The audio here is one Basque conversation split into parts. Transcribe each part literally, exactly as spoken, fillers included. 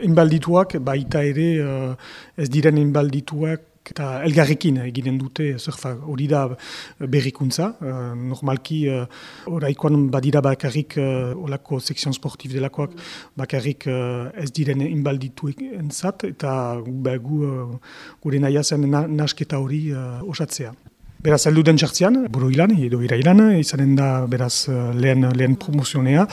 inbaldituak, baita ere uh, ez diren inbaldituak, eta elgarrekin eginen dute surfa hori da berrikuntza. Uh, normalki, uh, oraikoan badira bakarrik uh, olako sekzion sportif delakoak, bakarrik uh, ez diren inbaldituek entzat, eta ba, gu, uh, gure naia zen na, nasketa hori uh, osatzea. Beraz, heldu den txartzian, buru ilan, edo irailan, izanen da beraz lehen, lehen promozionea.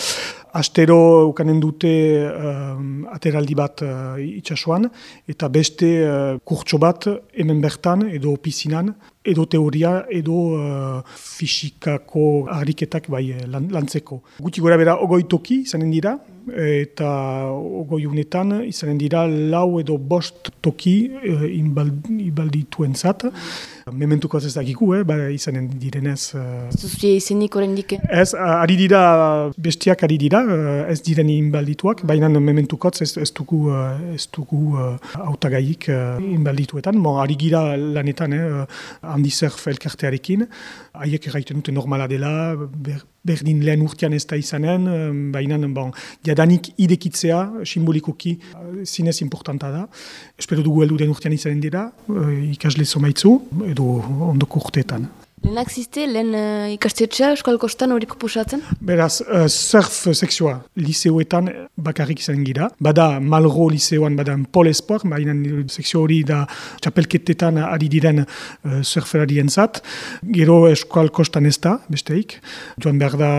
Astero ukanen dute um, ateraldi bat uh, itxasuan, eta beste uh, kurtso bat hemen bertan, edo piszinan, edo teoria, edo uh, fisikako ariketak bai lan, lantzeko. Guti gora bera ogoi toki izanen dira, eta ogoi unetan izanen dira lau edo bost toki uh, inbaldituen zat. Mementuko ez dakiku, eh, ba, izanen direnez. Uh, Zuzue izenik oraindik? Ez, ari dira, bestiak ari dira, ez diren inbaldituak, baina mementukotz ez, ez dugu, ez dugu hautagaik uh, inbaldituetan. Mo, ari gira lanetan, eh, handi surf elkartearekin, haiek erraiten dute normala dela, ber, berdin lehen urtean ez da izanen, baina bon, jadanik idekitzea, simbolikoki, zinez importanta da. Espero dugu heldu den urtean izanen dira, ikasle somaitzu, edo ondoko urteetan. Lehenak ziste, lehen uh, ikastetxea Euskal Kostan hori proposatzen? Beraz, uh, surf sekzioa liseoetan bakarrik izan gira. Bada Malro liseoan, bada Pol Esport, baina sekzio hori da txapelketetan ari diren uh, surferarien zat. Gero Euskal Kostan ez da, besteik. Joan behar da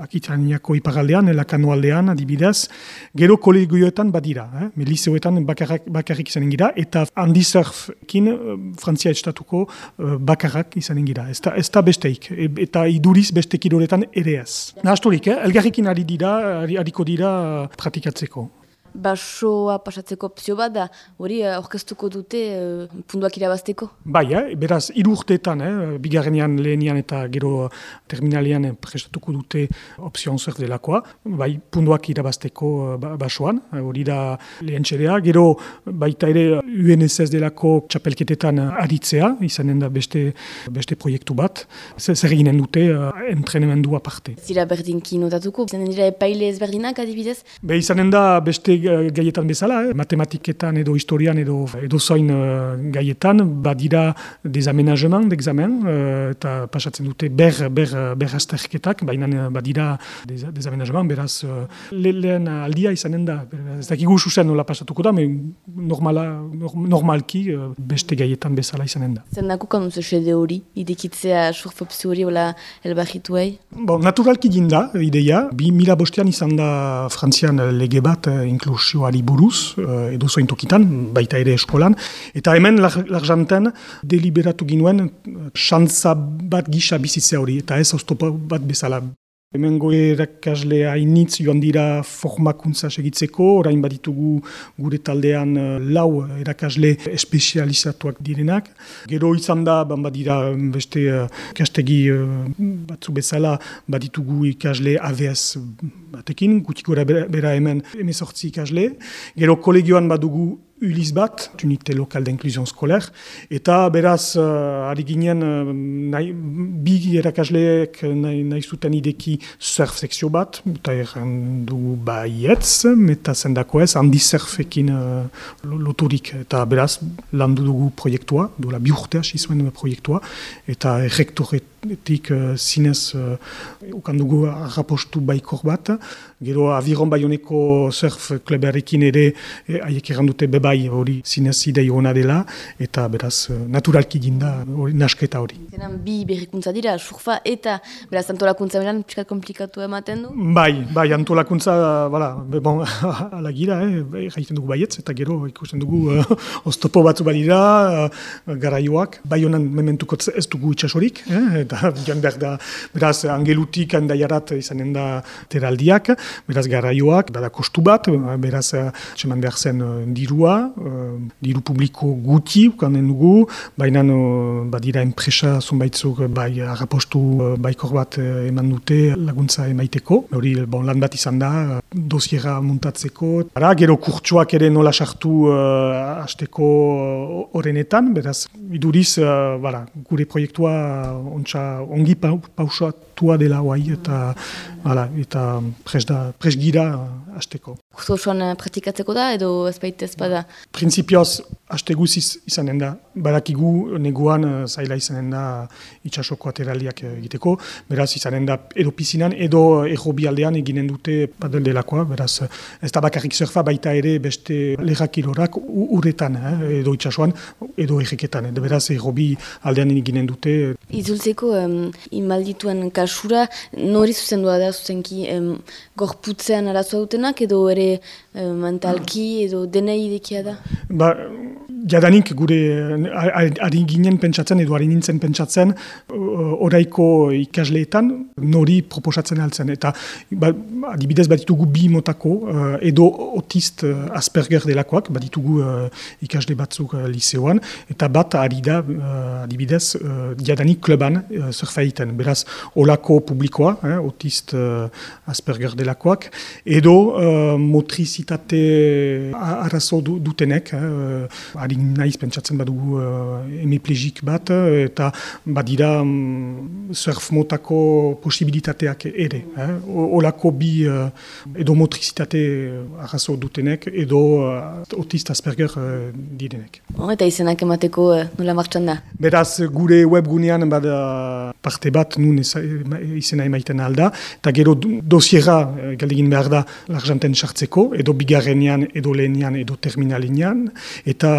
Akitaniako iparaldean, Elakano aldean, adibidez. Gero kolegioetan badira, eh? Me liseoetan bakarrik, bakarrik izan gira, eta handi surfkin uh, Frantzia estatuko uh, bakarrak izan gira. Ez ez da besteik, eta iduriz beste kiroletan ere ez. Nahasturik, eh? Elgarrekin ari dira, hariko dira pratikatzeko. Basoa pasatzeko opzio bat da, hori aurkeztuko dute uh, punduak irabazteko? Bai, eh? Beraz, hiru urteetan, eh? Bigarrenean, lehenian eta gero terminalian prestatuko dute opzioan surf delakoa, bai, punduak irabazteko uh, basoan, hori da lehen txerea, gero baita ere U N S S delako txapelketetan aritzea, izanen da beste, beste proiektu bat, zer eginen dute uh, entrenemendu aparte. Zira berdinki notatuko, izanen dira epaile ezberdinak adibidez? Be, izanen da beste gaietan bezala, eh? Matematiketan edo historian edo edo zoin uh, gaietan, badira desamenageman d'examen, uh, eta pasatzen dute ber, ber, ber azterketak, baina badira des, desamenageman, beraz uh, le, lehen aldia izanen da. Ez dakigu zuzen nola pasatuko da, me normala, normalki uh, beste gaietan bezala izanen da. Zer nakukan duzu xede hori, idekitzea surf opzio hori hola elbarrituei? Bon, naturalki ginda, ideia, bi mila bostean izan da Frantzian lege bat, uh, inklusioari buruz, uh, edo zoin tokitan, baita ere eskolan, eta hemen larjanten deliberatu ginuen xantza bat gisa bizitzea hori, eta ez oztopo bat bezala. Hemen goe erakasle hainitz joan dira formakuntza segitzeko, orain baditugu gure taldean lau erakasle espezializatuak direnak. Gero izan da, ban badira beste ikastegi batzu bezala, baditugu ikasle A V S batekin, gutik gora bera hemen hemezortzi ikasle. Gero kolegioan badugu Uliz bat, unité lokal d'inclusion scolaire, eta beraz, uh, ari ginen, uh, nahi, bi erakasleek nahi, nahi zuten ideki surf sekzio bat, eta erran dugu baietz, eta zendako ez, handi surfekin uh, loturik, eta beraz, landu dugu proiektua, dola bi urte hasi zuen proiektua, eta rektoretik uh, zinez uh, ukan dugu arrapostu baikor bat, gero aviron baioneko surf klubarekin ere, haiek eh, erran dute beba bai hori zinez idei hona dela, eta beraz naturalki ginda hori, nasketa hori. Zenan bi berrikuntza dira, surfa eta beraz antolakuntza beran pixka komplikatu ematen du? Bai, bai, antolakuntza, bala, bon, ala gira, eh, jaiten dugu baietz, eta gero ikusten dugu uh, oztopo batzu badira, uh, garaioak, bai honan mementuko ez dugu itxasorik, eh, eta joan behar da, beraz, angelutik handaiarat izanen da teraldiak, beraz garaioak, bada kostu bat, beraz, txeman behar zen uh, dirua, Uh, diru publiko guti ukanen dugu, baina uh, badira enpresa zonbaitzuk bai arrapostu uh, baikor bat uh, eman dute laguntza emaiteko. Hori bon, lan bat izan da, uh, dosiera muntatzeko. Ara, gero kurtsuak ere nola sartu uh, hasteko horrenetan, beraz, iduriz uh, bara, gure proiektua uh, ontsa eta ongi pausatua dela guai, eta, hala, eta pres, da, pres gira hasteko. Kurso osoan praktikatzeko da, edo ez baita ez bada? Printzipioz, haste guziz izanen da. Badakigu neguan zaila izanen da itxasoko ateraliak egiteko, beraz izanen da edo pizinan, edo errobi aldean eginen dute padel delakoa, beraz ez da bakarrik surfa, baita ere beste lehrakilorak uretan, eh, edo itxasoan, edo erreketan, edo beraz errobi aldean eginen dute. Izultzeko um, inmaldituen kasura, nori zuzendua da zuzenki um, gorputzean arazoa dutenak, edo ere um, mentalki, edo denei idekia da? Ba, jadanik gure ari ginen pentsatzen, edo ari nintzen pentsatzen, oraiko ikasleetan nori proposatzen altzen. Eta ba, adibidez baditugu bi motako, edo autist Asperger delakoak, baditugu uh, ikasle batzuk uh, liseoan, eta bat ari da, uh, adibidez, uh, jadanik kluban uh, surfa egiten. Beraz, olako publikoa, eh, autist uh, Asperger delakoak, edo uh, motrizitate arazo dutenek, eh, ari naiz pentsatzen badugu uh, hemiplegik bat, eta badira um, surf motako posibilitateak ere. Eh? Olako bi uh, edo motrizitate arazo dutenek, edo uh, autist Asperger uh, direnek. Oh, eta izenak emateko uh, nola martxan da? Beraz, gure webgunean bada parte bat nun izena emaiten alda, eta gero dosiera uh, galdegin behar da l'argenten sartzeko, edo bigarrenean, edo lehenian, edo terminalinean, eta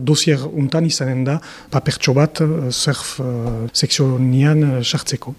dosier untan izanen da papertxo bat surf uh, sekzionian sartzeko.